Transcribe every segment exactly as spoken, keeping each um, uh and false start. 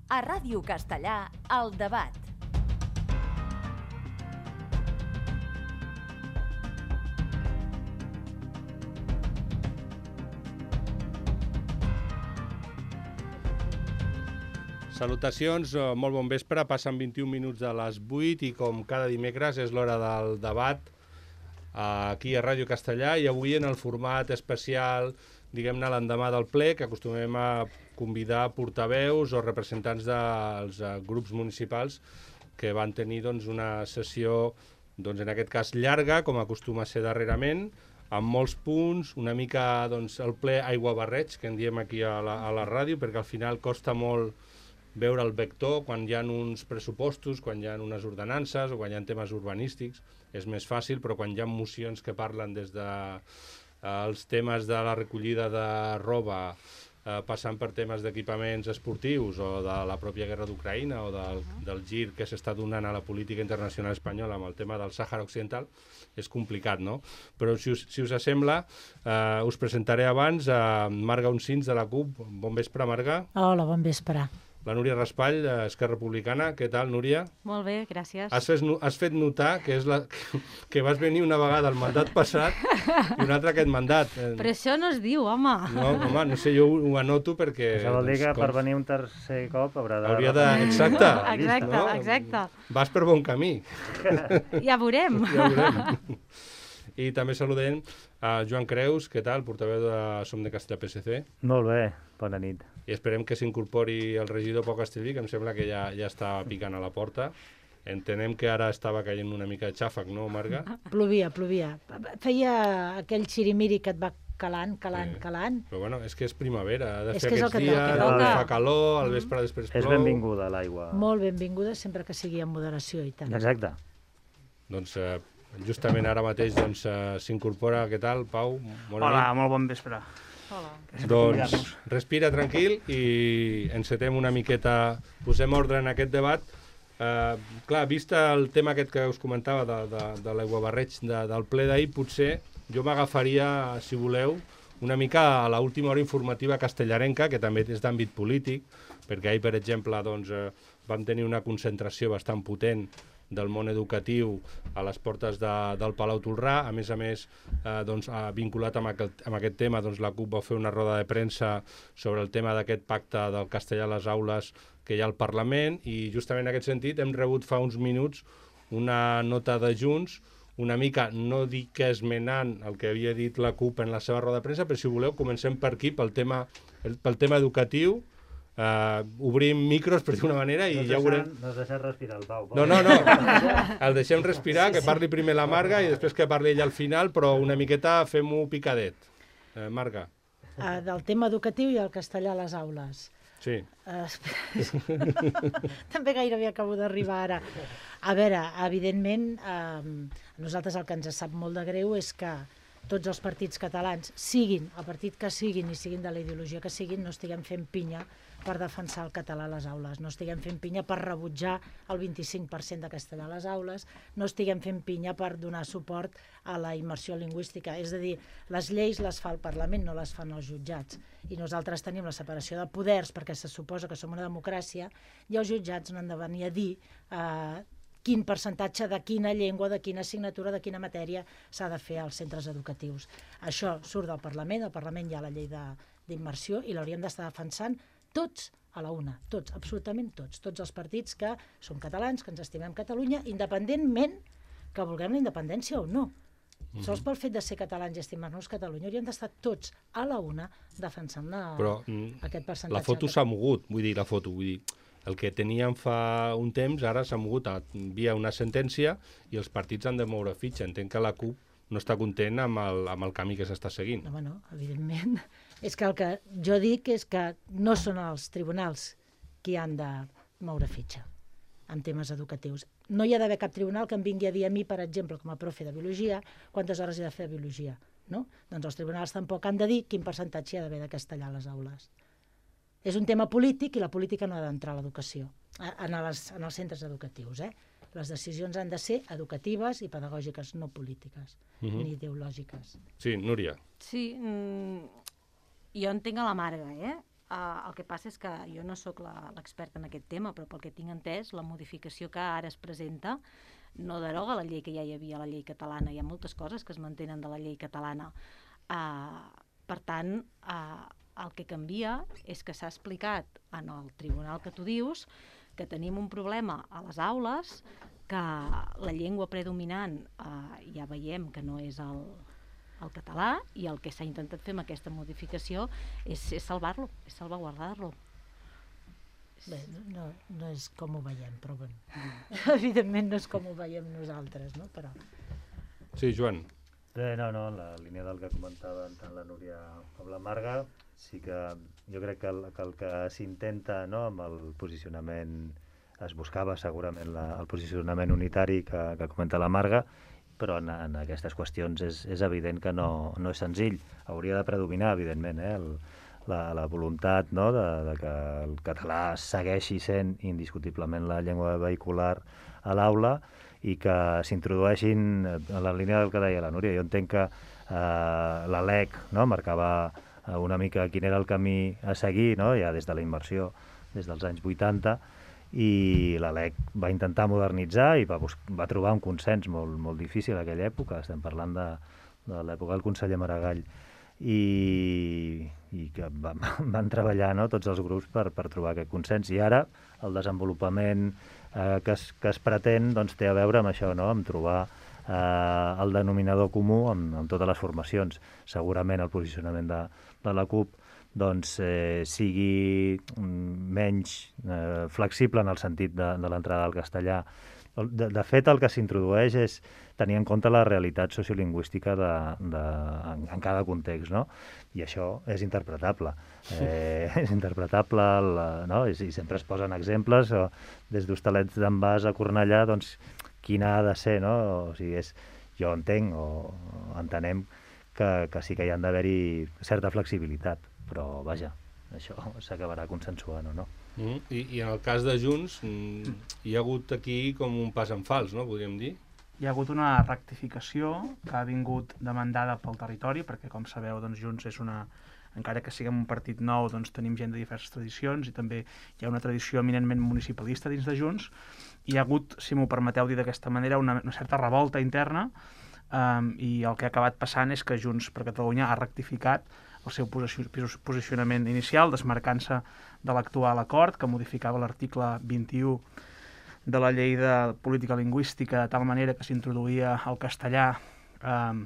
A Ràdio Castellà, El Debat. Salutacions, molt bon vespre, passen vint-i-un minuts de les vuit i com cada dimecres és l'hora del debat aquí a Ràdio Castellà i avui en el format especial, diguem-ne, l'endemà del ple, que acostumem a convidar portaveus o representants dels grups municipals que van tenir doncs, una sessió, doncs, en aquest cas llarga, com acostuma a ser darrerament, amb molts punts, una mica doncs, el ple aigua-barreig, que en diem aquí a la, a la ràdio, perquè al final costa molt veure el vector quan hi ha uns pressupostos, quan hi ha unes ordenances o quan hi ha temes urbanístics, és més fàcil, però quan hi ha mocions que parlen des de eh, els temes de la recollida de roba, eh, passant per temes d'equipaments esportius o de la pròpia guerra d'Ucraïna o del, del gir que s'està donant a la política internacional espanyola amb el tema del Sàhara Occidental, és complicat, no? Però si us, si us sembla, eh, us presentaré abans a Marga Uncins de la CUP. Bon vespre, Marga. Hola, bon vespre. La Núria Raspall, Esquerra Republicana. Què tal, Núria? Molt bé, gràcies. Has fet, has fet notar que, és la, que, que vas venir una vegada al mandat passat i una altra aquest mandat. Però això no es diu, home. No, home, no sé, jo ho, ho anoto perquè... Això vol dir que doncs, per venir un tercer cop haurà de... Hauria de... Exacte. Exacte, no? exacte. Vas per bon camí. Ja veurem. Ja veurem. I també saludem a Joan Creus, què tal, portaveu de Som de Castellà P S C. Molt bé, bona nit. I esperem que s'incorpori el regidor Pau Castellví, que em sembla que ja, ja està picant a la porta. Entenem que ara estava caient una mica de xàfec, no, Marga? Plovia, plovia. Feia aquell xirimiri que et va calant, calant, Sí. calant. Però bueno, és que és primavera, ha de És fer que és el aquests que dies, toca. on Toca. fa calor, al vespre després plou... És benvinguda l'aigua. Molt benvinguda, sempre que sigui amb moderació i tant. Exacte. Doncs eh, justament ara mateix doncs, eh, s'incorpora, què tal, Pau? Bona Hola, nit. molt bon vespre. Hola. Doncs respira tranquil i encetem una miqueta, posem ordre en aquest debat. Eh, clar, vist el tema aquest que us comentava de, de, de l'aiguabarreig de, del ple d'ahir, potser jo m'agafaria, si voleu, una mica a l'última hora informativa castellarenca, que també és d'àmbit polític, perquè ahir, per exemple, doncs, eh, vam tenir una concentració bastant potent del món educatiu a les portes de, del Palau Tolrà. A més a més, eh, doncs, eh, vinculat amb aquest, amb aquest tema, doncs, la CUP va fer una roda de premsa sobre el tema d'aquest pacte del castellà a les aules que hi ha al Parlament, i justament en aquest sentit hem rebut fa uns minuts una nota de Junts, una mica, no dic que esmenant el que havia dit la CUP en la seva roda de premsa, però si voleu comencem per aquí, pel tema, el, pel tema educatiu. Uh, obrim micros, per dir-ho d'una manera, i No ja ho veurem... No has deixat respirar el Pau. No, no, no. El deixem respirar, que parli primer la Marga i després que parli ella al final, però una miqueta fem-ho picadet. Eh, Marga. Uh, del tema educatiu i el castellà a les aules. Sí. Uh, també gairebé acabo d'arribar ara. A veure, evidentment, uh, a nosaltres el que ens sap molt de greu és que tots els partits catalans, siguin el partit que siguin i siguin de la ideologia que siguin, no estiguem fent pinya per defensar el català a les aules, no estiguem fent pinya per rebutjar el vint-i-cinc per cent de castellà a les aules, no estiguem fent pinya per donar suport a la immersió lingüística. És a dir, les lleis les fa el Parlament, no les fan els jutjats. I nosaltres tenim la separació de poders perquè se suposa que som una democràcia i els jutjats no han de venir a dir eh, quin percentatge de quina llengua, de quina assignatura, de quina matèria s'ha de fer als centres educatius. Això surt del Parlament, al Parlament hi ha la llei d'immersió i l'hauríem d'estar defensant tots a la una, tots, absolutament tots, tots els partits que som catalans, que ens estimem Catalunya, independentment que vulguem la independència o no. Mm-hmm. Sols pel fet de ser catalans i estimar-nos Catalunya hauríem d'estar tots a la una defensant la, Però aquest percentatge. la foto s'ha mogut, vull dir, la foto, vull dir, el que teníem fa un temps ara s'ha mogut a, via una sentència i els partits han de moure fitxa. Entenc que la CUP no està content amb el, amb el camí que s'està seguint. No, bueno, evidentment. És que el que jo dic és que no són els tribunals qui han de moure fitxa en temes educatius. No hi ha d'haver cap tribunal que em vingui a dir a mi, per exemple, com a profe de biologia, quantes hores he de fer de biologia. No? Doncs els tribunals tampoc han de dir quin percentatge hi ha d'haver de castellà a les aules. És un tema polític i la política no ha d'entrar a l'educació, en, les, en els centres educatius. Eh? Les decisions han de ser educatives i pedagògiques, no polítiques, uh-huh. ni ideològiques. Sí, Núria. Sí, mm, jo entenc a la Marga, eh? Uh, el que passa és que jo no sóc la- l'experta en aquest tema, però pel que tinc entès, la modificació que ara es presenta no deroga la llei que ja hi havia a la llei catalana. Hi ha moltes coses que es mantenen de la llei catalana. Uh, per tant, uh, el que canvia és que s'ha explicat en el tribunal que tu dius que tenim un problema a les aules, que la llengua predominant uh, ja veiem que no és el, el català, i el que s'ha intentat fer amb aquesta modificació és, és salvar-lo, és salvaguardar-lo. Bé, no, no és com ho veiem, però bé. Evidentment no és com ho veiem nosaltres, no? Però... Sí, Joan. Bé, no, no, en la línia del que comentaven tant la Núria com la Marga, sí que jo crec que el que, el que s'intenta, no, amb el posicionament, es buscava segurament la, el posicionament unitari que, que comenta la Marga, però en, en aquestes qüestions és, és evident que no, no és senzill. Hauria de predominar, evidentment, eh, el, la, la voluntat, no, de, de que el català segueixi sent indiscutiblement la llengua vehicular a l'aula i que s'introdueixin, en la línia del que deia la Núria, jo entenc que eh, la L E C, no, marcava una mica quin era el camí a seguir, no, ja des de la immersió, des dels anys vuitanta, i la L E C va intentar modernitzar i va, va trobar un consens molt, molt difícil en aquella època. Estem parlant de, de l'època del conseller Maragall, i, i que van, van treballar, no, tots els grups per, per trobar aquest consens, i ara el desenvolupament eh, que, es, que es pretén, doncs, té a veure amb això, no, amb trobar eh, el denominador comú amb, amb totes les formacions. Segurament el posicionament de, de la CUP doncs, eh, sigui menys eh, flexible en el sentit de, de l'entrada al castellà. De, de fet, el que s'introdueix és tenir en compte la realitat sociolingüística de, de, en, en cada context, no? I això és interpretable. Eh, és interpretable, la, no? I, i sempre es posen exemples, o, des d'Hostalets d'en Bas a Cornellà, doncs, quina ha de ser, no? O sigui, és, jo entenc, o, o entenem que, que sí que hi ha d'haver-hi certa flexibilitat, però, vaja, això s'acabarà consensuant o no. Mm, i, I en el cas de Junts, mm, hi ha hagut aquí com un pas en fals, no?, podríem dir? Hi ha hagut una rectificació que ha vingut demandada pel territori, perquè, com sabeu, doncs, Junts és una... Encara que siguem un partit nou, doncs tenim gent de diverses tradicions i també hi ha una tradició eminentment municipalista dins de Junts. Hi ha hagut, si m'ho permeteu dir d'aquesta manera, una, una certa revolta interna, um, i el que ha acabat passant és que Junts per Catalunya ha rectificat el seu posicionament inicial, desmarcant-se de l'actual acord, que modificava l'article vint-i-u de la llei de política lingüística de tal manera que s'introduïa el castellà eh,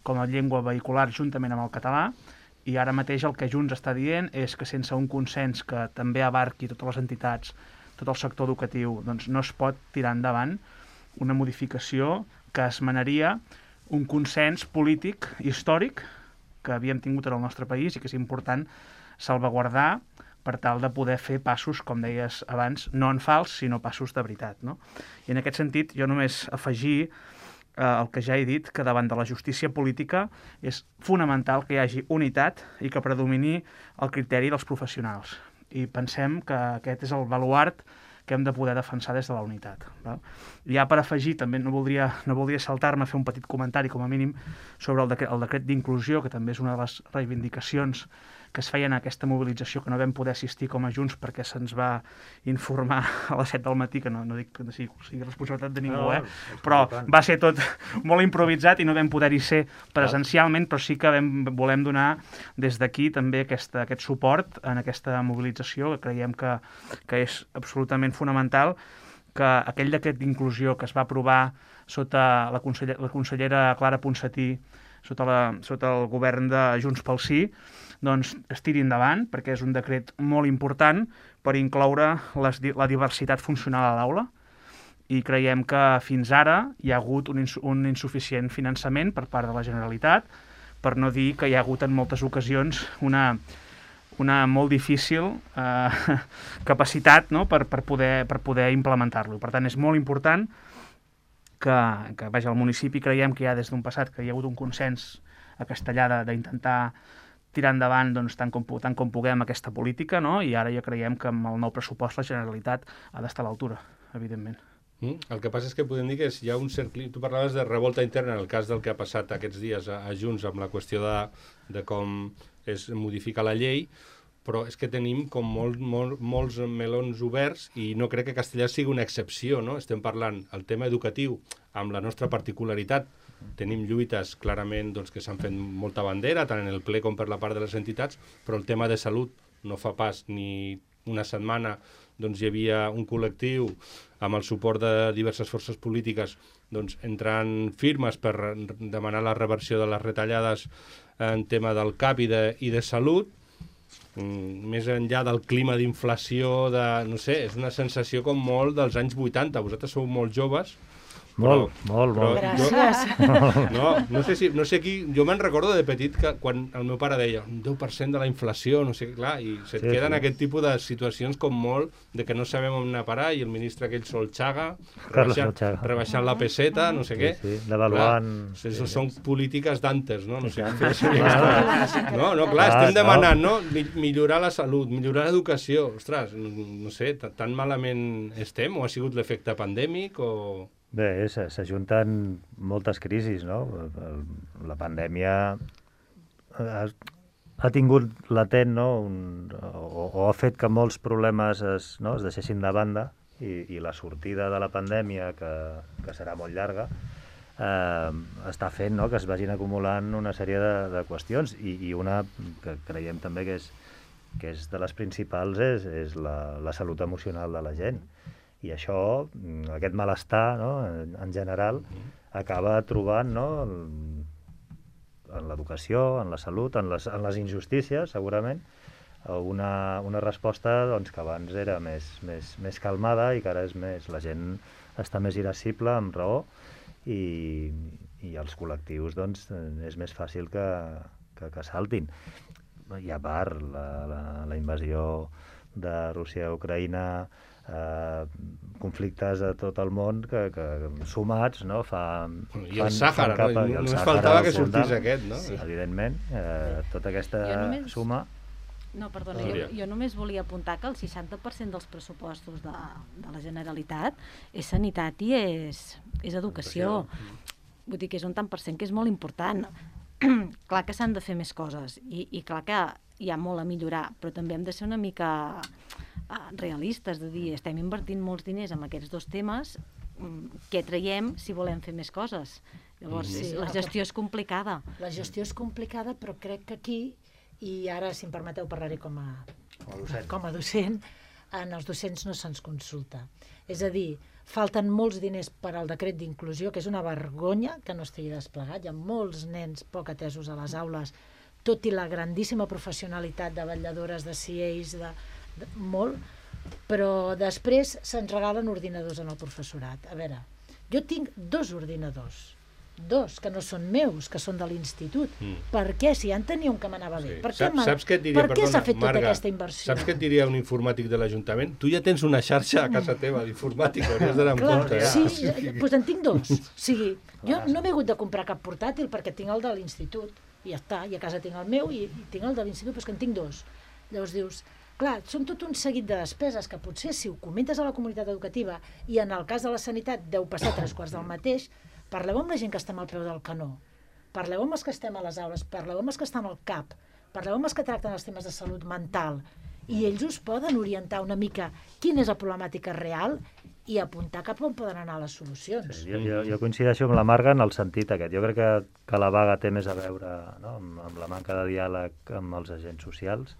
com a llengua vehicular juntament amb el català, i ara mateix el que Junts està dient és que sense un consens que també abarqui totes les entitats, tot el sector educatiu, doncs no es pot tirar endavant una modificació que esmenaria un consens polític històric que havíem tingut en el nostre país i que és important salvaguardar per tal de poder fer passos, com deies abans, no en fals, sinó passos de veritat, no? I en aquest sentit, jo només afegir eh, el que ja he dit, que davant de la justícia política és fonamental que hi hagi unitat i que predomini el criteri dels professionals. I pensem que aquest és el baluart que hem de poder defensar des de la unitat. Val? Ja per afegir, també no voldria, no voldria saltar-me a fer un petit comentari, com a mínim, sobre el decret, el decret d'inclusió, que també és una de les reivindicacions que es feien a aquesta mobilització, que no vam poder assistir com a Junts perquè se'ns va informar a les set del matí, que no, no dic que no sigui, sigui responsabilitat de ningú, eh? Però va ser tot molt improvisat i no vam poder-hi ser presencialment, però sí que vam, volem donar des d'aquí també aquesta, aquest suport en aquesta mobilització, que creiem que, que és absolutament fonamental, que aquell decret d'inclusió que es va aprovar sota la, conseller, la consellera Clara Ponsatí, sota, la, sota el govern de Junts pel Sí, doncs es tiri endavant, perquè és un decret molt important per incloure les, la diversitat funcional a l'aula, i creiem que fins ara hi ha hagut un, ins un insuficient finançament per part de la Generalitat, per no dir que hi ha hagut en moltes ocasions una, una molt difícil eh, capacitat, no?, per, per poder, per poder implementar-lo. Per tant, és molt important que, que vaja, al municipi creiem que ja des d'un passat que hi ha hagut un consens a Castellà d'intentar tirar endavant, doncs, tant, com, tant com puguem aquesta política, no? I ara ja creiem que amb el nou pressupost la Generalitat ha d'estar a l'altura, evidentment. Mm, el que passa és que podem dir que hi ha un cercle... Tu parlaves de revolta interna en el cas del que ha passat aquests dies a, a Junts amb la qüestió de, de com es modifica la llei, però és que tenim com molt, molt, molts melons oberts i no crec que Castellar sigui una excepció, no? Estem parlant el tema educatiu amb la nostra particularitat. Tenim lluites clarament doncs, que s'han fet molta bandera, tant en el ple com per la part de les entitats, però el tema de salut no fa pas ni una setmana doncs, hi havia un col·lectiu amb el suport de diverses forces polítiques doncs, entrant firmes per demanar la reversió de les retallades en tema del C A P i de, i de salut. Més enllà del clima d'inflació, de, no sé, és una sensació com molt dels anys vuitanta. Vosaltres sou molt joves. Molt, però, molt, molt. Gràcies. No, no sé si, no sé qui... Jo me'n recordo de petit que quan el meu pare deia un deu per cent de la inflació, no sé, clar, i se't Sí, queden sí. aquest tipus de situacions com molt de que no sabem on anar a parar i el ministre aquell Solchaga Carlos rebaixant, Solchaga. rebaixant la peseta, no sé Sí, què. sí, devaluant... Clar, això són polítiques d'antes, no? No sé Sí, què sí. No, no, clar, Ah, estem no. demanant, no? Mi- Millorar la salut, millorar l'educació. Ostres, no sé, t- tan malament estem? O ha sigut l'efecte pandèmic o... Bé, se- s'ajunten moltes crisis, no? El- La pandèmia ha, ha tingut latent, no? Un, o, o ha fet que molts problemes es, no? es deixessin de banda i, i la sortida de la pandèmia, que, que serà molt llarga, eh, està fent, no? Que es vagin acumulant una sèrie de, de qüestions i, i una que creiem també que és, que és de les principals és, és la, la salut emocional de la gent. I això, aquest malestar, no, en, en general, acaba trobant, no, en, en l'educació, en la salut, en les, en les injustícies, segurament, una, una resposta doncs, que abans era més, més, més calmada i que ara és més, la gent està més irascible, amb raó, i, i els col·lectius doncs, és més fàcil que, que, que saltin. I a part, la, la, la invasió de Rússia a Ucraïna, eh, conflictes a tot el món que, que sumats, no, fa... I el Sàhara, no? capa, I el només Sàhara faltava al que sortís frontal. aquest, no? Sí, evidentment, eh, tota aquesta Jo només- suma... No, perdona, jo, Núria. jo només volia apuntar que el seixanta per cent dels pressupostos de, de la Generalitat és sanitat i és, és educació. Vull dir que és un tant per cent que és molt important. Clar que s'han de fer més coses i, i clar que hi ha molt a millorar, però també hem de ser una mica uh, realistes, de dir, estem invertint molts diners en aquests dos temes, mm, què traiem si volem fer més coses? Llavors, Sí, la el que- gestió és complicada. La gestió és complicada, però crec que aquí, i ara, si em permeteu, parlaré com a, Com a docent. com a docent, en els docents no se'ns consulta. És a dir, falten molts diners per al decret d'inclusió, que és una vergonya que no estigui desplegat. Hi ha molts nens poc atesos a les aules, tot i la grandíssima professionalitat de vetlladores, de C As, de, de, molt, però després se'ns regalen ordinadors en el professorat. A veure, jo tinc dos ordinadors, dos, que no són meus, que són de l'institut. Mm. Per què? Si ja en tenia un que m'anava bé. Sí. Per què, Saps, m'ha- saps què et diria, per què s'ha perdona, fet tota Marga, aquesta inversió? Saps què et diria un informàtic de l'Ajuntament? Tu ja tens una xarxa a casa teva d'informàtica, hauries d'anar amb Clar, compte. eh? sí, doncs en tinc dos. O sigui, jo no m'he hagut de comprar cap portàtil perquè tinc el de l'institut i ja està, i a casa tinc el meu i, i tinc el de l'institut, però és que en tinc dos. Llavors dius, clar, són tot un seguit de despeses que potser si ho comentes a la comunitat educativa i en el cas de la sanitat deu passar tres quarts del mateix, parleu amb la gent que estem al peu del canó, parleu amb els que estem a les aules, parleu amb els que estan al C A P, parleu amb els que tracten els temes de salut mental i ells us poden orientar una mica quina és la problemàtica real i apuntar cap on poden anar les solucions. Sí, jo, jo, jo coincideixo amb la Marga en el sentit aquest. Jo crec que, que la vaga té més a veure, no, amb, amb la manca de diàleg amb els agents socials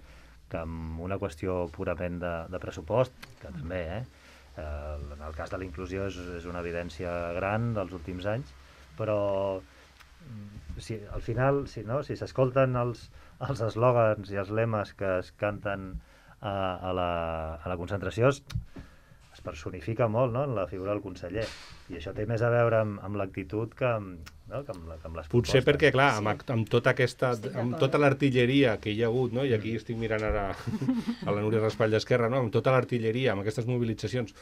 que amb una qüestió purament de, de pressupost, que també, eh? eh? En el cas de la inclusió és, és una evidència gran dels últims anys, però si, al final, si no, si s'escolten els els eslògans i els lemes que es canten a, a, la, a la concentració, es, es personifica molt, no?, en la figura del conseller. I això té més a veure amb, amb l'actitud que, amb, no?, que, amb la, que amb les Potser propostes. perquè, clar, Sí. amb, amb tota aquesta, Estic amb d'acord. tota l'artilleria que hi ha hagut, no? I aquí estic mirant ara a la Núria Raspall d'Esquerra, no? Amb tota l'artilleria, amb aquestes mobilitzacions,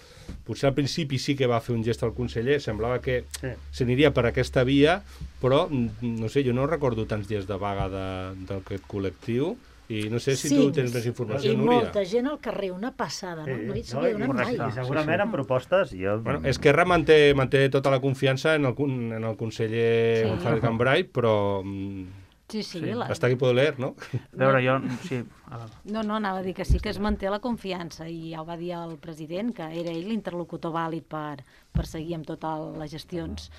potser al principi sí que va fer un gest al conseller, semblava que Sí. s'aniria per aquesta via, però, mm, no sé, jo no recordo tants dies de vaga de- d'aquest col·lectiu, i no sé si tu tens més informació, I Núria. molta gent al carrer, una passada, no? No hi no, s'havia i, donat mai. i segurament amb propostes... Jo, Bueno, Esquerra manté, manté tota la confiança en el, con- en el conseller Sí. González Cambray, però mm, Sí, sí. Sí. La... Hasta aquí puedo leer, ¿no? A veure, jo... Sí, No, no, anava a dir que sí que es manté la confiança i ja ho va dir el president, que era ell l'interlocutor vàlid per, per seguir amb totes les gestions.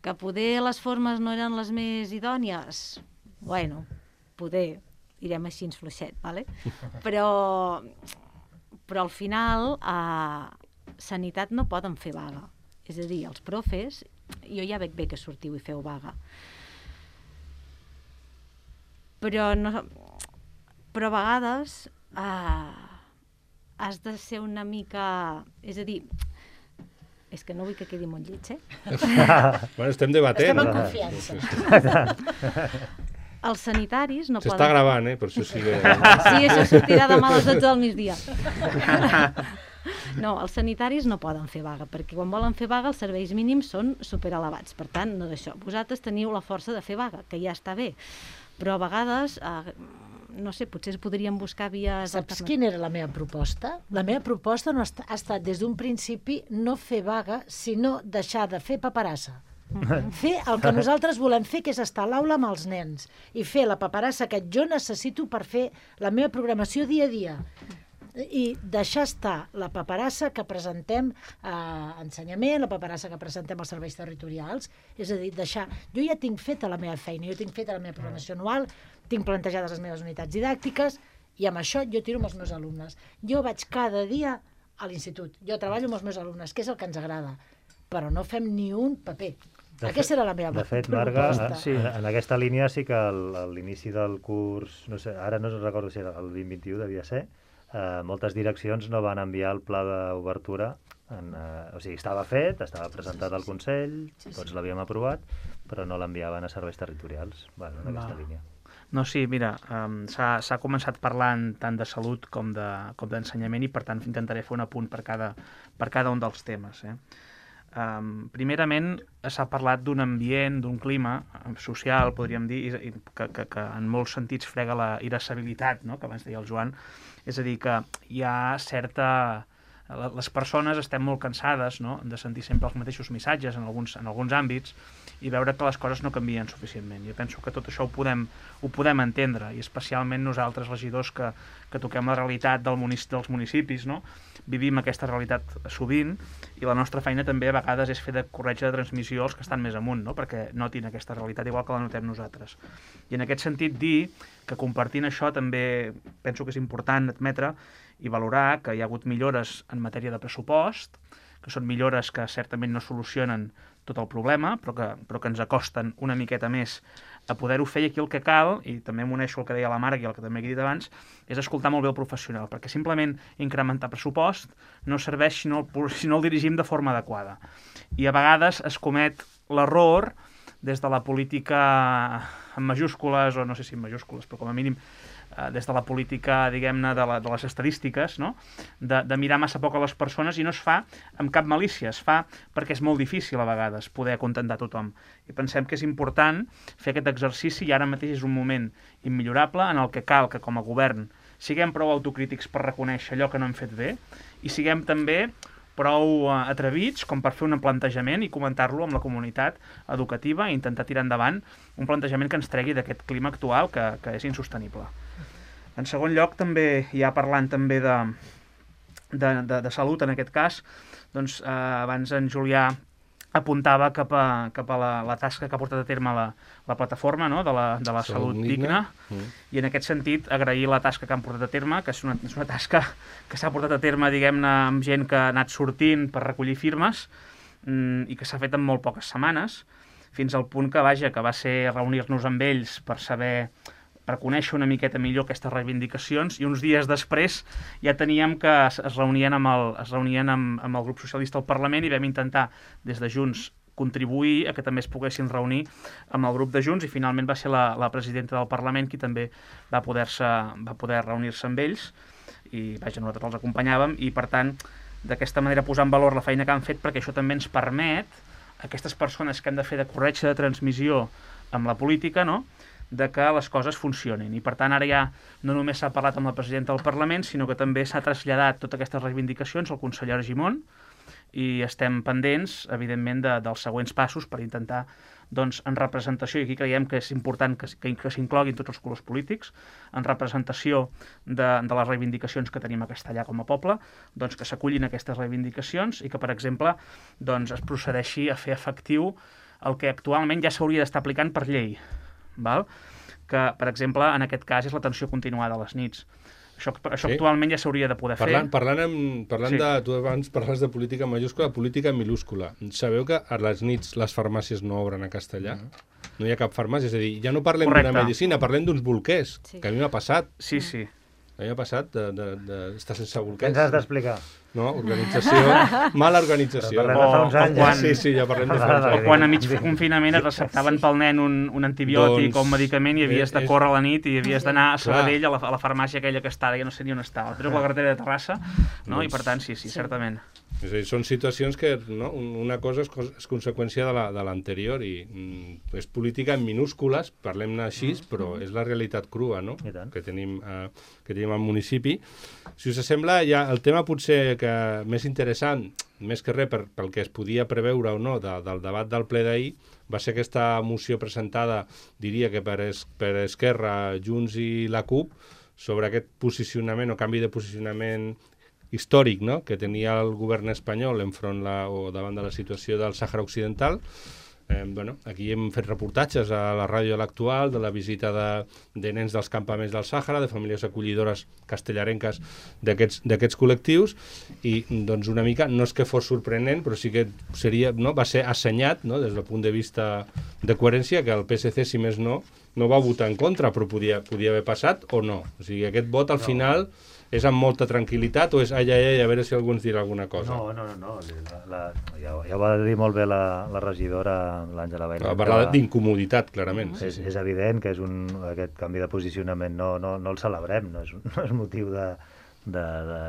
Que poder les formes no eren les més idònies? Bueno, poder, direm així ens fluixet, ¿vale? Però, però al final a Sanitat no poden fer vaga. És a dir, els profes, jo ja veig bé que sortiu i feu vaga, però, no, però a vegades eh, has de ser una mica... És a dir, és que no vull que quedi molt lleig, eh? Bueno, estem debatent. Estem en confiança. Els sanitaris no S'està poden... gravant, eh? Per això sí que... Sí, això sortirà demà a les dotze del migdia. No, els sanitaris no poden fer vaga, perquè quan volen fer vaga els serveis mínims són superelevats. Per tant, no d'això. Vosaltres teniu la força de fer vaga, que ja està bé. Però a vegades, eh, no sé, potser es podrien buscar vies... Saps quina era la meva proposta? La meva proposta no ha, est ha estat des d'un principi no fer vaga, sinó deixar de fer paperassa. Mm-hmm. Fer el que nosaltres volem fer, que és estar a l'aula amb els nens, i fer la paperassa que jo necessito per fer la meva programació dia a dia. I deixar estar la paperassa que presentem a ensenyament, la paperassa que presentem als serveis territorials, és a dir, deixar... Jo ja tinc feta la meva feina, jo tinc feta la meva programació anual, tinc plantejades les meves unitats didàctiques, i amb això jo tiro amb els meus alumnes. Jo vaig cada dia a l'institut, jo treballo amb els meus alumnes, que és el que ens agrada, però no fem ni un paper. De Aquesta fet, era la meva de fet, proposta. Marga, sí. en, en aquesta línia sí que al, a l'inici del curs, no sé, ara no recordo si era el vint vint-i-u, devia ser, eh, moltes direccions no van enviar el pla d'obertura, en, eh, o sigui, estava fet, estava presentat al Consell, sí, sí. Tots l'havíem aprovat, però no l'enviaven a serveis territorials, bueno, en aquesta Va. línia. No, sí, mira, um, s'ha començat parlant tant de salut com d'ensenyament de, com i per tant intentaré fer un apunt per cada, per cada un dels temes. Eh? Um, primerament s'ha parlat d'un ambient, d'un clima social, podríem dir, i, que, que, que en molts sentits frega la irascibilitat, no?, que abans deia el Joan. És a dir, que hi ha certa... Les persones estem molt cansades, no?, de sentir sempre els mateixos missatges en alguns, en alguns àmbits i veure que les coses no canvien suficientment. Jo penso que tot això ho podem, ho podem entendre, i especialment nosaltres, regidors, que, que toquem la realitat del munic dels municipis, no?, vivim aquesta realitat sovint, i la nostra feina també a vegades és fer de corretja de transmissió als que estan més amunt, no?, perquè notin aquesta realitat igual que la notem nosaltres. I en aquest sentit dir que compartint això també penso que és important admetre i valorar que hi ha hagut millores en matèria de pressupost, que són millores que certament no solucionen tot el problema, però que, però que ens acosten una miqueta més a poder-ho fer, i aquí el que cal, i també m'uneixo el que deia la Marga i el que també he dit abans, és escoltar molt bé el professional, perquè simplement incrementar pressupost no serveix si no el, si no el dirigim de forma adequada. I a vegades es comet l'error des de la política en majúscules, o no sé si en majúscules, però com a mínim des de la política, diguem-ne, de, la, de les estadístiques, no?, de, de mirar massa poc a les persones, i no es fa amb cap malícia, es fa perquè és molt difícil a vegades poder acontentar tothom. I pensem que és important fer aquest exercici, i ara mateix és un moment immillorable en el que cal que com a govern siguem prou autocrítics per reconèixer allò que no hem fet bé, i siguem també prou atrevits com per fer un plantejament i comentar-lo amb la comunitat educativa i intentar tirar endavant un plantejament que ens tregui d'aquest clima actual que, que és insostenible. En segon lloc, també, ja parlant també de, de, de, de salut en aquest cas, doncs eh, abans en Julià apuntava cap a, cap a la, la tasca que ha portat a terme la, la plataforma, no?, de la, de la salut, salut digna, mm. i en aquest sentit agrair la tasca que han portat a terme, que és una, és una tasca que s'ha portat a terme, diguem-ne, amb gent que ha anat sortint per recollir firmes, mm, i que s'ha fet en molt poques setmanes, fins al punt que, vaja, que va ser reunir-nos amb ells per saber, per conèixer una miqueta millor aquestes reivindicacions, i uns dies després ja teníem que es, es reunien, amb el, es reunien amb, amb el grup socialista al Parlament, i vam intentar des de Junts contribuir a que també es poguessin reunir amb el grup de Junts, i finalment va ser la, la presidenta del Parlament qui també va poder-se va poder reunir-se amb ells, i vaja, nosaltres els acompanyàvem, i per tant d'aquesta manera posar en valor la feina que han fet, perquè això també ens permet a aquestes persones que hem de fer de corretja de transmissió amb la política, no?, de que les coses funcionin. I per tant ara ja no només s'ha parlat amb la presidenta del Parlament, sinó que també s'ha traslladat totes aquestes reivindicacions al conseller Argimon, i estem pendents, evidentment, de, dels següents passos per intentar, doncs, en representació, i aquí creiem que és important que, que, que s'incloguin tots els colors polítics, en representació de, de les reivindicacions que tenim a Castellar com a poble, doncs que s'acullin aquestes reivindicacions i que, per exemple, doncs, es procedeixi a fer efectiu el que actualment ja s'hauria d'estar aplicant per llei, val? Que, per exemple, en aquest cas és l'atenció continuada a les nits. Això, això sí. Actualment ja s'hauria de poder parlant, fer. Parlant, amb, parlant sí. de... Tu abans parles de política majúscula, política minúscula. Sabeu que a les nits les farmàcies no obren a Castellar? Mm. No hi ha cap farmàcia, és a dir, ja no parlem d'una medicina, parlem d'uns bolquers, sí. que a mi m'ha passat. Sí, sí. A mi m'ha passat d'estar de, de, de sense bolquers. Què ens has d'explicar? No, organització, mala organització. Però parlem de fa uns anys. Quan, sí, sí, ja parlem de fa uns anys. O quan a mig confinament et receptaven pel nen un, un antibiòtic doncs, o un medicament i havies de córrer a la nit i havies d'anar a Sabadell, a la, a la farmàcia aquella que està, ja no sé ni on està, però a la carretera de Terrassa, no? I per tant, sí, sí, certament. És a dir, són situacions que, no, una cosa és, és conseqüència de l'anterior la, i mm, és política en minúscules, parlem-ne així, mm. però és la realitat crua, no?, que tenim, eh, que tenim al municipi. Si us sembla, ja el tema potser que més interessant, més que res per, pel que es podia preveure o no de, del debat del ple d'ahir, va ser aquesta moció presentada, diria que per, es, per Esquerra, Junts i la CUP, sobre aquest posicionament o canvi de posicionament històric, no?, que tenia el govern espanyol enfront la, o davant de la situació del Sàhara Occidental. Eh, bueno, aquí hem fet reportatges a la ràdio de l'Actual de la visita de, de nens dels campaments del Sàhara, de famílies acollidores castellarenques d'aquests col·lectius, i doncs una mica, no és que fos sorprenent, però sí que seria, no, va ser assenyat, no, des del punt de vista de coherència, que el P S C, si més no, no va votar en contra, però podia, podia haver passat o no. O sigui, aquest vot al no. final és amb molta tranquil·litat o és ai, ai, ai, a veure si algú ens dirà alguna cosa? No, no, no, no. La, la, ja, ja ho va dir molt bé la, la regidora, l'Àngela Bailén. Va parlar d'incomoditat, clarament. És, sí, sí. és evident que és un, aquest canvi de posicionament no, no, no el celebrem, no és, no és motiu de, de, de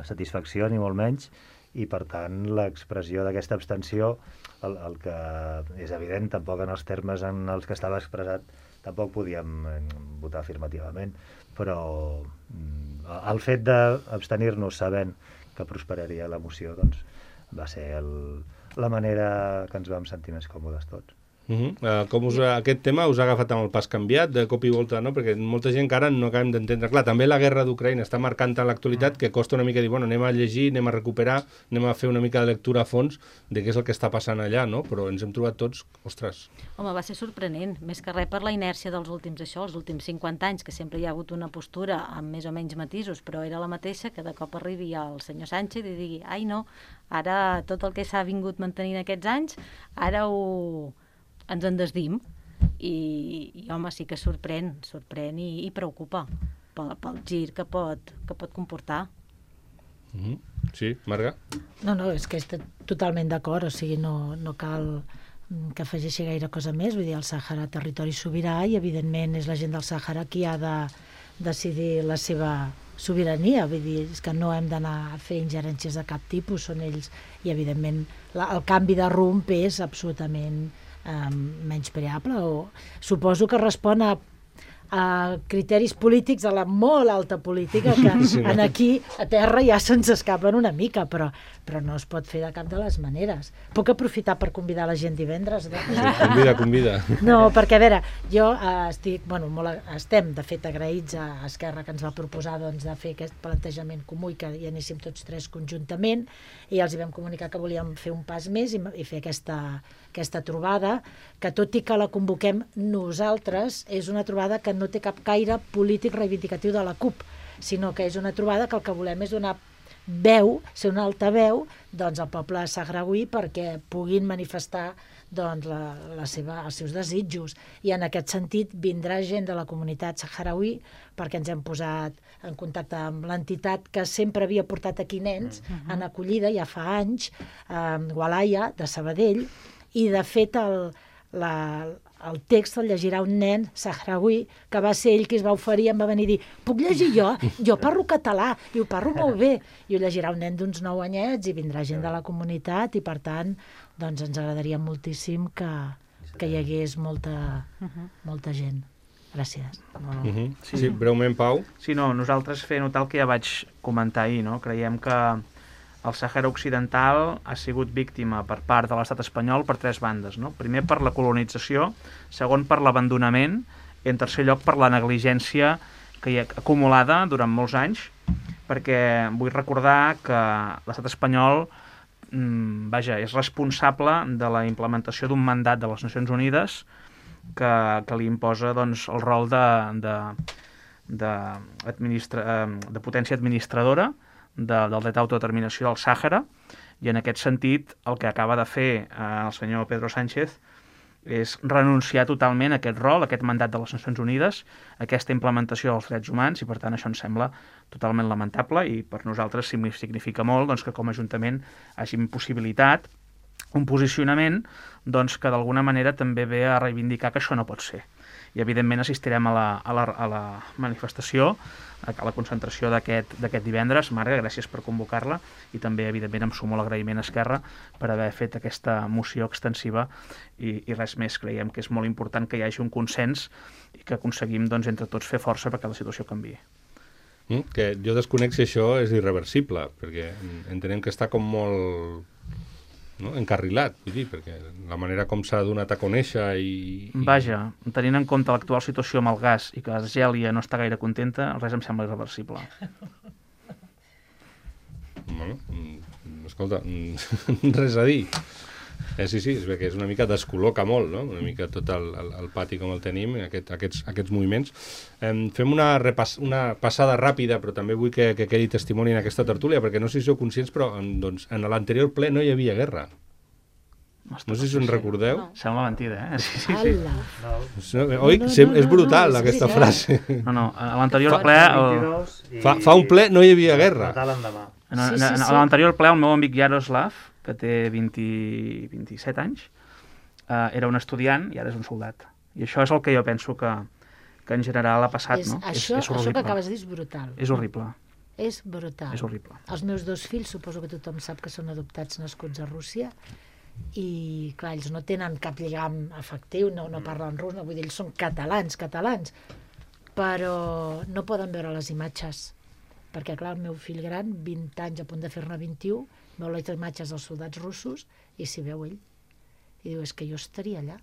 satisfacció ni molt menys, i per tant l'expressió d'aquesta abstenció, el, el que és evident, tampoc en els termes en els que estava expressat, tampoc podíem votar afirmativament, però el fet d'abstenir-nos sabent que prosperaria la moció, doncs, va ser el, la manera que ens vam sentir més còmodes tots. Uh -huh. uh, com us, aquest tema us ha agafat amb el pas canviat, de cop i volta, no? Perquè molta gent encara no acabem d'entendre. Clar, també la guerra d'Ucraïna està marcant en l'actualitat que costa una mica dir, bueno, anem a llegir, anem a recuperar, anem a fer una mica de lectura a fons de què és el que està passant allà, no? Però ens hem trobat tots, ostres... Home, va ser sorprenent, més que res per la inèrcia dels últims, això, els últims cinquanta anys, que sempre hi ha hagut una postura amb més o menys matisos, però era la mateixa, que de cop arribi el senyor Sánchez i digui, ai no, ara tot el que s'ha vingut mantenint aquests anys, ara ho... ens en desdim, i, i home, sí que sorprèn, sorprèn i, i preocupa pel, pel gir que pot, que pot comportar. Mm-hmm. Sí, Marga? No, no, és que estic totalment d'acord, o sigui, no, no cal que afegeixi gaire cosa més, vull dir, el Sàhara territori sobirà i evidentment és la gent del Sàhara qui ha de decidir la seva sobirania, vull dir, és que no hem d'anar a fer ingerències de cap tipus, són ells, i evidentment la, el canvi de rumb és absolutament Um, menyspreable, o suposo que respon a, a criteris polítics de la molt alta política que sí, no? En aquí a terra ja se'ns escapen una mica, però, però no es pot fer de cap de les maneres. Puc aprofitar per convidar la gent divendres? Sí, convida, convida. No, perquè a veure, jo uh, estic, bueno, molt, estem de fet agraïts a Esquerra que ens va proposar doncs, de fer aquest plantejament comú i que hi anéssim tots tres conjuntament, i els hi vam comunicar que volíem fer un pas més i, i fer aquesta aquesta trobada, que tot i que la convoquem nosaltres, és una trobada que no té cap caire polític reivindicatiu de la CUP, sinó que és una trobada que el que volem és donar veu, ser una altaveu, doncs, al poble sahrauí perquè puguin manifestar doncs, la, la seva, els seus desitjos. I en aquest sentit vindrà gent de la comunitat sahrauí perquè ens hem posat en contacte amb l'entitat que sempre havia portat aquí nens uh-huh. en acollida, ja fa anys, eh, Walaya, de Sabadell, i de fet el, la, el text el llegirà un nen sahrauí que va ser ell qui es va oferir i em va venir a dir, puc llegir jo? Jo parlo català i ho parlo molt bé, i ho llegirà un nen d'uns nou anyets i vindrà gent de la comunitat i per tant doncs ens agradaria moltíssim que, que hi hagués molta, molta gent. Gràcies. No, uh -huh. sí. sí, breument, Pau. Sí, no, nosaltres fer notar el que ja vaig comentar ahir, no? Creiem que el Sàhara Occidental ha sigut víctima per part de l'estat espanyol per tres bandes, no? Primer per la colonització, segon per l'abandonament i en tercer lloc per la negligència que hi ha acumulada durant molts anys, perquè vull recordar que l'estat espanyol mmm, vaja, és responsable de la implementació d'un mandat de les Nacions Unides que, que li imposa doncs, el rol de, de, de, administra, de potència administradora de, del dret d'autodeterminació del Sàhara, i en aquest sentit el que acaba de fer eh, el senyor Pedro Sánchez és renunciar totalment a aquest rol, a aquest mandat de les Nacions Unides, a aquesta implementació dels drets humans, i per tant això ens sembla totalment lamentable, i per nosaltres significa molt doncs, que com a Ajuntament hagin possibilitat un posicionament doncs, que d'alguna manera també ve a reivindicar que això no pot ser. I evidentment assistirem a la, a la, a la manifestació, a la concentració d'aquest divendres. Marga, gràcies per convocar-la, i també evidentment em sumo l'agraïment a Esquerra per haver fet aquesta moció extensiva, i, i res més. Creiem que és molt important que hi hagi un consens i que aconseguim doncs, entre tots fer força perquè la situació canviï. Mm, que jo desconec si això és irreversible, perquè entenem que està com molt... no? encarrilat, vull dir, perquè la manera com s'ha donat a conèixer i, i... Vaja, tenint en compte l'actual situació amb el gas i que Argèlia no està gaire contenta, res em sembla irreversible. Bueno, escolta, res a dir. Eh, sí, sí, és que és una mica descol·loca molt, no? Una mica tot el, el, el pati com el tenim, aquest, aquests, aquests moviments. Eh, fem una, repass, una passada ràpida, però també vull que, que quedi testimoni en aquesta tertúlia, perquè no sé si sou conscients, però en, doncs, en l'anterior ple no hi havia guerra. No sé si us en recordeu. No. Sembla mentida, eh? Sí, sí, sí. No. Oi? No, no, no, és brutal, no, no, aquesta sí, frase. No, no, a l'anterior ple... El... Fa, fa un ple no hi havia guerra. En, en, en, a l'anterior ple, el meu amic Yaroslav, que té vint, vint-i-set anys, eh, era un estudiant i ara és un soldat. I això és el que jo penso que, que en general ha passat, és, no? Això, és, és això que acabes de dir és brutal. És horrible. És brutal. És horrible. Els meus dos fills, suposo que tothom sap que són adoptats nascuts a Rússia, i clar, ells no tenen cap lligam afectiu, no, no parlen rus, no, vull dir, ells són catalans, catalans, però no poden veure les imatges, perquè clar, el meu fill gran, vint anys a punt de fer-ne vint-i-u, veu les imatges dels soldats russos i s'hi veu ell. I diu, és que jo estaria allà.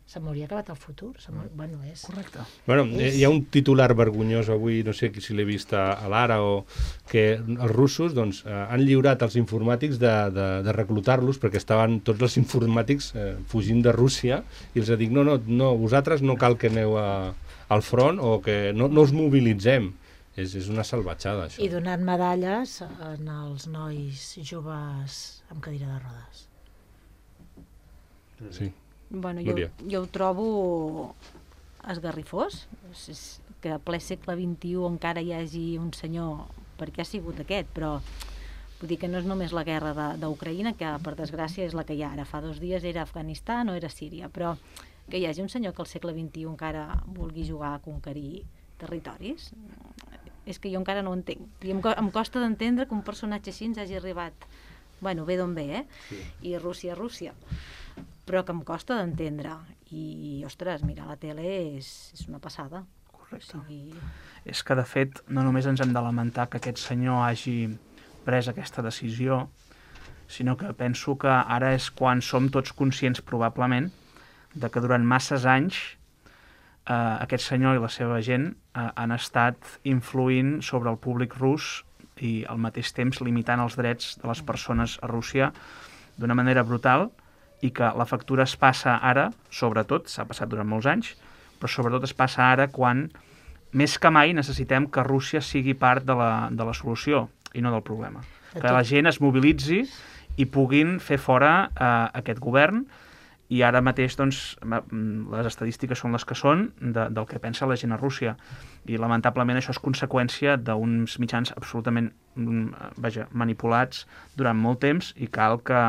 Se m'hauria acabat el futur. Bueno, és... Correcte. Bueno, hi ha un titular vergonyós avui, no sé si l'he vist a l'Ara, o que els russos doncs, eh, han lliurat els informàtics de, de, de reclutar-los, perquè estaven tots els informàtics eh, fugint de Rússia, i els dic, no, no, no, vosaltres no cal que aneu a, al front, o que no, no us mobilitzem. És, és una salvatjada, això. I donant medalles en els nois joves amb cadira de rodes. Sí. Bueno, jo, jo ho trobo esgarrifós, que a ple segle vint-i-u encara hi hagi un senyor, perquè ha sigut aquest, però vull dir que no és només la guerra d'Ucraïna, que per desgràcia és la que hi ha ara. Fa dos dies era Afganistan o era Síria, però que hi hagi un senyor que al segle vint-i-u encara vulgui jugar a conquerir territoris, és que jo encara no ho entenc. I em, em costa d'entendre que un personatge així ens hagi arribat, bueno, ve d'on ve, eh? Sí. I Rússia, Rússia. Però que em costa d'entendre. I, ostres, mirar la tele és, és una passada. Correcte. O sigui... És que, de fet, no només ens hem de lamentar que aquest senyor hagi pres aquesta decisió, sinó que penso que ara és quan som tots conscients, probablement, de que durant masses anys Uh, aquest senyor i la seva gent uh, han estat influint sobre el públic rus i al mateix temps limitant els drets de les persones a Rússia d'una manera brutal, i que la factura es passa ara, sobretot, s'ha passat durant molts anys, però sobretot es passa ara quan més que mai necessitem que Rússia sigui part de la, de la solució i no del problema. Que la gent es mobilitzi i puguin fer fora uh, aquest govern. I ara mateix doncs, les estadístiques són les que són de, del que pensa la gent a Rússia. I lamentablement això és conseqüència d'uns mitjans absolutament vaja, manipulats durant molt temps, i cal que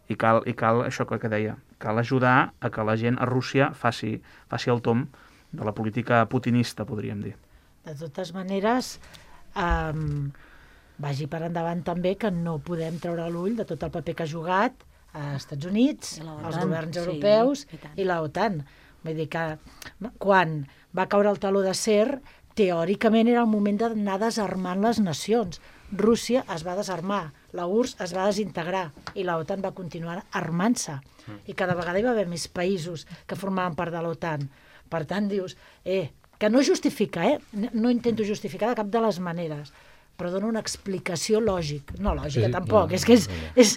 i cal, i cal això que, que deia, cal ajudar a que la gent a Rússia faci, faci el tom de la política putinista, podríem dir. De totes maneres, um, vagi per endavant també que no podem treure l'ull de tot el paper que ha jugat a Estats Units, els governs europeus sí, i, i l'OTAN. Vull dir que quan va caure el taló d'acer, teòricament era el moment d'anar desarmant les nacions. Rússia es va desarmar, la U R S S es va desintegrar i la OTAN va continuar armant-se. I cada vegada hi va haver més països que formaven part de l'OTAN. Per tant, dius, eh, que no justifica, eh? No intento justificar de cap de les maneres, però dona una explicació lògica. No lògica, Sí, tampoc, no, és que és... és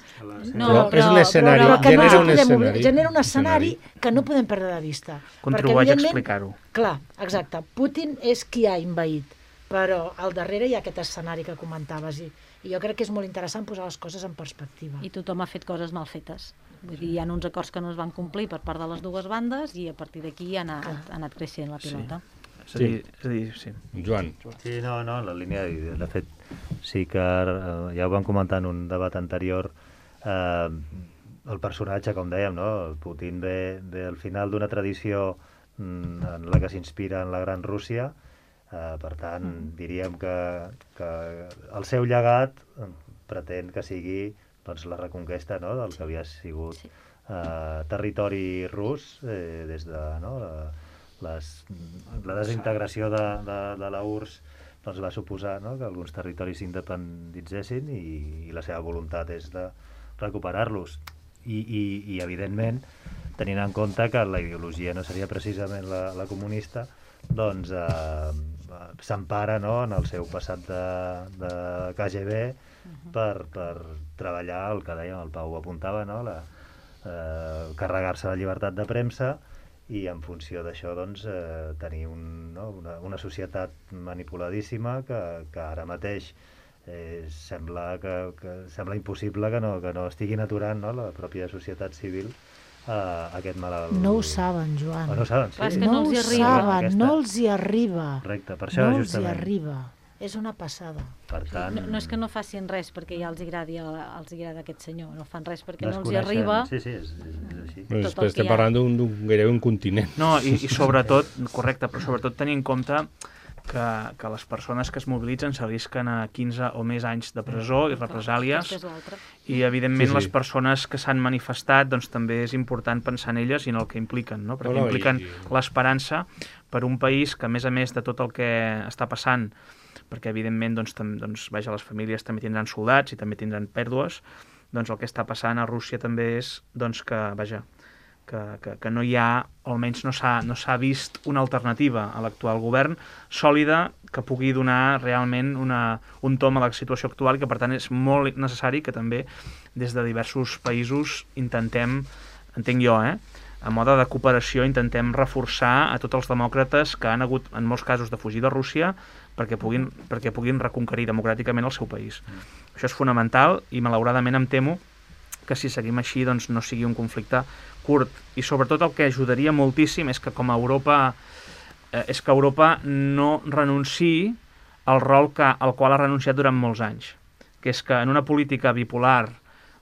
No, Però és un escenari, però que no genera ens un podem escenari. obrir- genera un escenari que no podem perdre de vista. Contribueix a evidentment, explicar-ho. Clar, exacte. Putin és qui ha invaït, però al darrere hi ha aquest escenari que comentaves i, i jo crec que és molt interessant posar les coses en perspectiva. I tothom ha fet coses mal fetes. Vull dir, hi ha uns acords que no es van complir per part de les dues bandes i a partir d'aquí ha, anat, ha anat creixent la pilota. És a dir, és a dir sí. Joan. Sí, no, no, la línia, de fet, sí que eh, ja ho vam comentar en un debat anterior, eh, el personatge, com dèiem, no? El Putin ve, ve al final d'una tradició mm, en la que s'inspira en la Gran Rússia, eh, per tant, diríem que, que el seu llegat eh, pretén que sigui doncs, la reconquesta, no?, del que havia sigut Sí. eh, territori rus eh, des de no, la, les, la desintegració de, de, de la U R S S doncs, va suposar, no?, que alguns territoris s'independitzessin i, i la seva voluntat és de recuperar-los. I, i, I, evidentment, tenint en compte que la ideologia no seria precisament la, la comunista, doncs eh, s'empara, no?, en el seu passat de, de K G B per, per treballar, el que dèiem, el Pau apuntava, no?, la, eh, carregar-se la llibertat de premsa i en funció d'això doncs, eh, tenir un, no? una, una societat manipuladíssima que, que ara mateix eh, sembla, que, que, sembla impossible que no, que no estiguin aturant, no?, la pròpia societat civil eh, aquest malalt. No ho saben, Joan. Oh, no ho saben, sí. Clar, és que No no els ho hi arriba. saben, Aquesta- no els hi arriba. Correcte, per això No els hi justament. arriba. És una passada. Per tant, No, no és que no facin res perquè ja els agradi, els agrada aquest senyor, no fan res perquè no els hi desconeixen- arriba. Sí, sí, és, és, és així. Però Tot després el que estem hi ha. parlant d'un d'un- gairebé un continent. No, i, i sobretot, correcte, però sobretot tenir en compte que, que les persones que es mobilitzen s'arrisquen a quinze o més anys de presó i represàlies, Aquesta és l'altra. i evidentment Sí, sí. les persones que s'han manifestat doncs també és important pensar en elles i en el que impliquen, no? Perquè No, no, impliquen i- l'esperança per un país que, a més a més de tot el que està passant, perquè evidentment doncs, tam, doncs, vaja, les famílies també tindran soldats i també tindran pèrdues, doncs el que està passant a Rússia també és doncs, que, vaja, que, que, que no hi ha, o almenys no s'ha no s'ha vist una alternativa a l'actual govern sòlida que pugui donar realment una, un tom a la situació actual i que per tant és molt necessari que també des de diversos països intentem, entenc jo, eh, a mode de cooperació intentem reforçar a tots els demòcrates que han hagut en molts casos de fugir de Rússia perquè puguin, perquè puguin reconquerir democràticament el seu país. Mm. Això és fonamental i malauradament em temo que si seguim així doncs, no sigui un conflicte curt. I sobretot el que ajudaria moltíssim és que com a Europa eh, és que Europa no renunciï al rol que, al qual ha renunciat durant molts anys, que és que en una política bipolar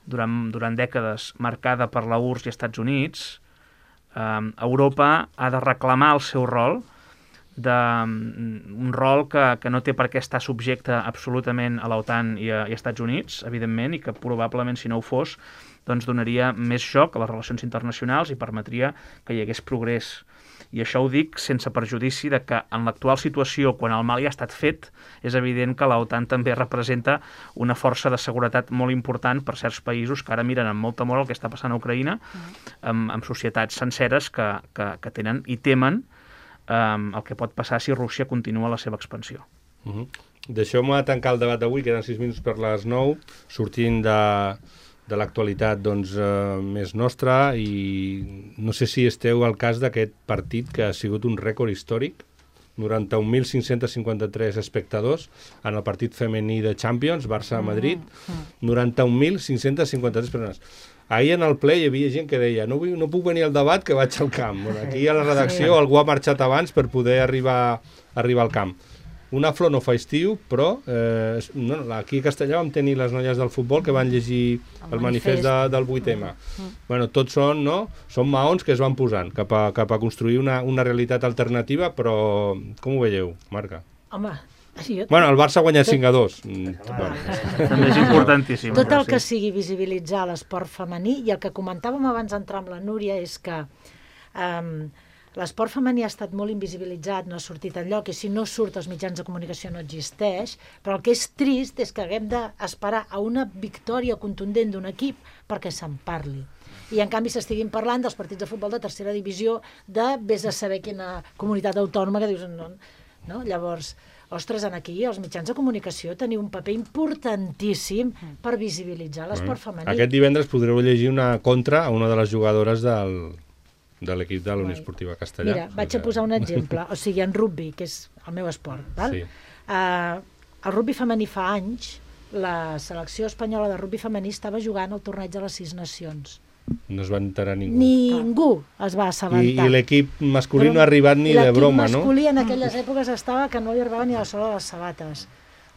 durant, durant dècades marcada per la U R S S i Estats Units, eh, Europa ha de reclamar el seu rol, de, un rol que, que no té per què estar subjecte absolutament a l'OTAN i a, i a Estats Units, evidentment, i que probablement, si no ho fos, doncs donaria més xoc a les relacions internacionals i permetria que hi hagués progrés. I això ho dic sense perjudici de que en l'actual situació, quan el mal ja ha estat fet, és evident que l'OTAN també representa una força de seguretat molt important per certs països que ara miren amb molt temor el que està passant a Ucraïna, amb, amb societats senceres que, que, que tenen i temen um, el que pot passar si Rússia continua la seva expansió. Uh -huh. Deixeu-me tancar el debat d'avui, queden sis minuts per les nou, sortint de, de l'actualitat doncs, eh, més nostra, i no sé si esteu al cas d'aquest partit que ha sigut un rècord històric, noranta-un mil cinc-cents cinquanta-tres espectadors en el partit femení de Champions, Barça-Madrid, noranta-un mil cinc-cents cinquanta-tres persones. Ahir en el ple hi havia gent que deia no, vull, no puc venir al debat que vaig al camp. Bueno, aquí a la redacció sí. Algú ha marxat abans per poder arribar, arribar al camp. Una flor no fa estiu, però eh, no, aquí a Castellà vam tenir les noies del futbol que van llegir el, el manifest, manifest de, del vuit eme. Mm. Bueno, tots són, no? Són maons que es van posant cap a, cap a construir una, una realitat alternativa, però com ho veieu, Marca? Home, jo... Bueno, el Barça ha guanyat cinc a dos. Mm, bueno. També és importantíssim. Tot el que sigui visibilitzar l'esport femení, i el que comentàvem abans d'entrar amb la Núria és que um, l'esport femení ha estat molt invisibilitzat, no ha sortit enlloc, i si no surt als mitjans de comunicació no existeix, però el que és trist és que haguem d'esperar a una victòria contundent d'un equip perquè se'n parli. I en canvi s'estiguin parlant dels partits de futbol de tercera divisió, de vés a saber quina comunitat autònoma que dius... No, no? Llavors, ostres, en aquí els mitjans de comunicació teniu un paper importantíssim per visibilitzar l'esport femení. Aquest divendres podreu llegir una contra a una de les jugadores del, de l'equip de la Unió Esportiva Castellà. Mira, vaig a posar un exemple, o sigui, en rugby, que és el meu esport, val? Sí. Uh, el rugby femení fa anys, la selecció espanyola de rugby femení estava jugant al torneig de les Sis Nacions. No es va enterar ningú. Ningú es va assabentar. I, i l'equip masculí no ha arribat ni de broma, no? L'equip masculí en aquelles èpoques estava que no li arribava ni a la sola de les sabates.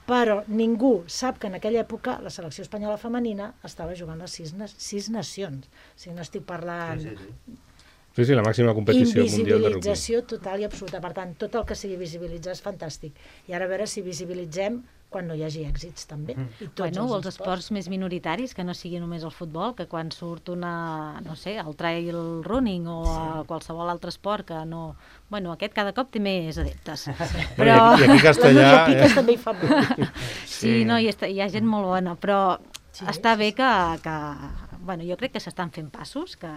Però ningú sap que en aquella època la selecció espanyola femenina estava jugant les sis, sis nacions. O sigui, no estic parlant... Sí, sí, sí. Sí, sí, la màxima competició mundial de rugby. Invisibilització total i absoluta. Per tant, tot el que sigui visibilitzar és fantàstic. I ara a veure si visibilitzem quan no hi hagi èxits, també. I tots bueno, els, els esports més minoritaris, que no sigui només el futbol, que quan surt una, no sé, el trail running o sí. qualsevol altre esport que no... Bueno, aquest cada cop té més adeptes. Sí. Però... I aquí a Castellà... La Piques també hi fa molt. Sí, no, hi, està, hi ha gent molt bona, però sí, està bé que... que bueno, jo crec que s'estan fent passos, que,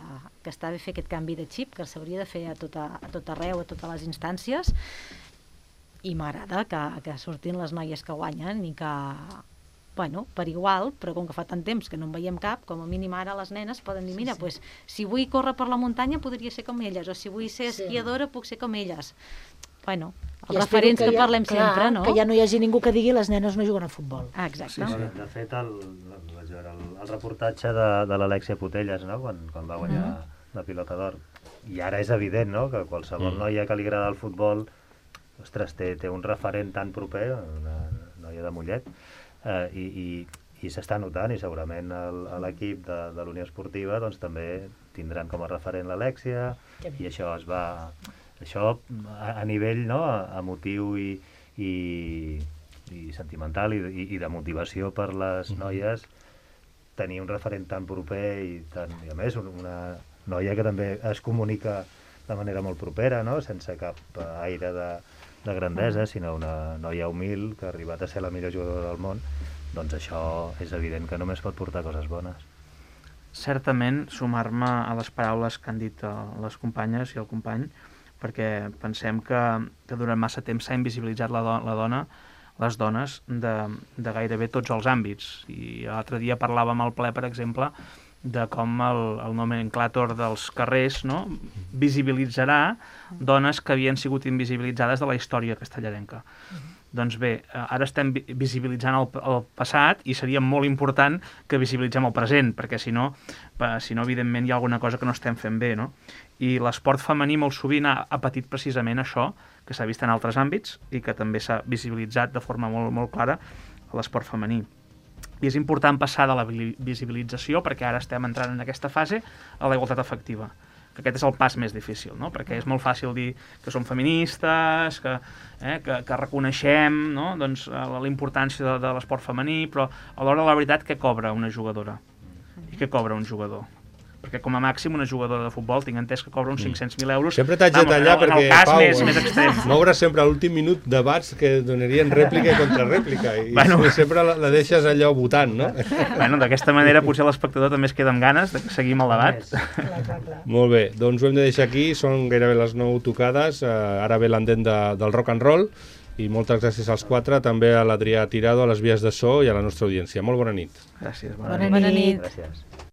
que està bé fer aquest canvi de xip, que s'hauria de fer a tot, a, a tot arreu, a totes les instàncies, i m'agrada que, que surtin les noies que guanyen i que, bueno, per igual, però com que fa tant temps que no en veiem cap, com a mínim ara les nenes poden dir, mira, sí, sí. Pues, si vull córrer per la muntanya podria ser com elles, o si vull ser esquiadora sí. puc ser com elles. Bueno, els referents que, que ja, parlem clar, sempre, no? Que ja no hi hagi ningú que digui les nenes no juguen a futbol. Ah, exacte. Sí, sí. De fet, el, el, el, el reportatge de, de l'Alexia Putelles, no? quan, quan va guanyar mm. la pilota d'or, i ara és evident, no?, que qualsevol mm. noia que li agrada el futbol, ostres, té, té un referent tan proper, una noia de Mollet, eh, i, i, i s'està notant, i segurament l'equip de, de l'Unió Esportiva doncs, també tindran com a referent l'Alexia, i això es va... Això a, a nivell no, emotiu i, i, i sentimental i, i, i de motivació per les noies, tenir un referent tan proper i, tan, i a més una noia que també es comunica de manera molt propera, no? Sense cap aire de, de grandesa, sinó una noia humil que ha arribat a ser la millor jugadora del món, doncs això és evident que només pot portar coses bones. Certament, sumar-me a les paraules que han dit les companyes i el company, perquè pensem que, que durant massa temps s'ha invisibilitzat la, do, la dona, les dones, de, de gairebé tots els àmbits. I l'altre dia parlàvem al ple, per exemple, de com el, el nomenclàtor dels carrers, no?, visibilitzarà dones que havien sigut invisibilitzades de la història castellarenca. Doncs bé, ara estem visibilitzant el, el passat i seria molt important que visibilitzem el present, perquè si no, si no, evidentment, hi ha alguna cosa que no estem fent bé, no? I l'esport femení molt sovint ha, ha patit precisament això, que s'ha vist en altres àmbits i que també s'ha visibilitzat de forma molt, molt clara a l'esport femení. I és important passar de la visibilització, perquè ara estem entrant en aquesta fase, a la igualtat efectiva, que aquest és el pas més difícil, no? Perquè és molt fàcil dir que som feministes, que, eh, que, que reconeixem, no?, doncs, la importància de, de l'esport femení, però a l'hora de la veritat què cobra una jugadora? I què cobra un jugador? Perquè com a màxim una jugadora de futbol tinc entès que cobra uns cinc-cents mil euros. Sempre t'haig de tallar perquè, en el cas Pau, més, més extrem. M'obres sempre a l'últim minut debats que donarien rèplica i contrarèplica i bueno, sempre la, la deixes allò votant, no? Bueno, d'aquesta manera potser l'espectador també es queda amb ganes de seguir amb el debat. Clar, clar, clar. Molt bé, doncs ho hem de deixar aquí, són gairebé les nou tocades, uh, ara ve l'endent de, del rock and roll i moltes gràcies als quatre, també a l'Adrià Tirado, a les vies de so i a la nostra audiència. Molt bona nit. Gràcies, bona, bona nit. Gràcies.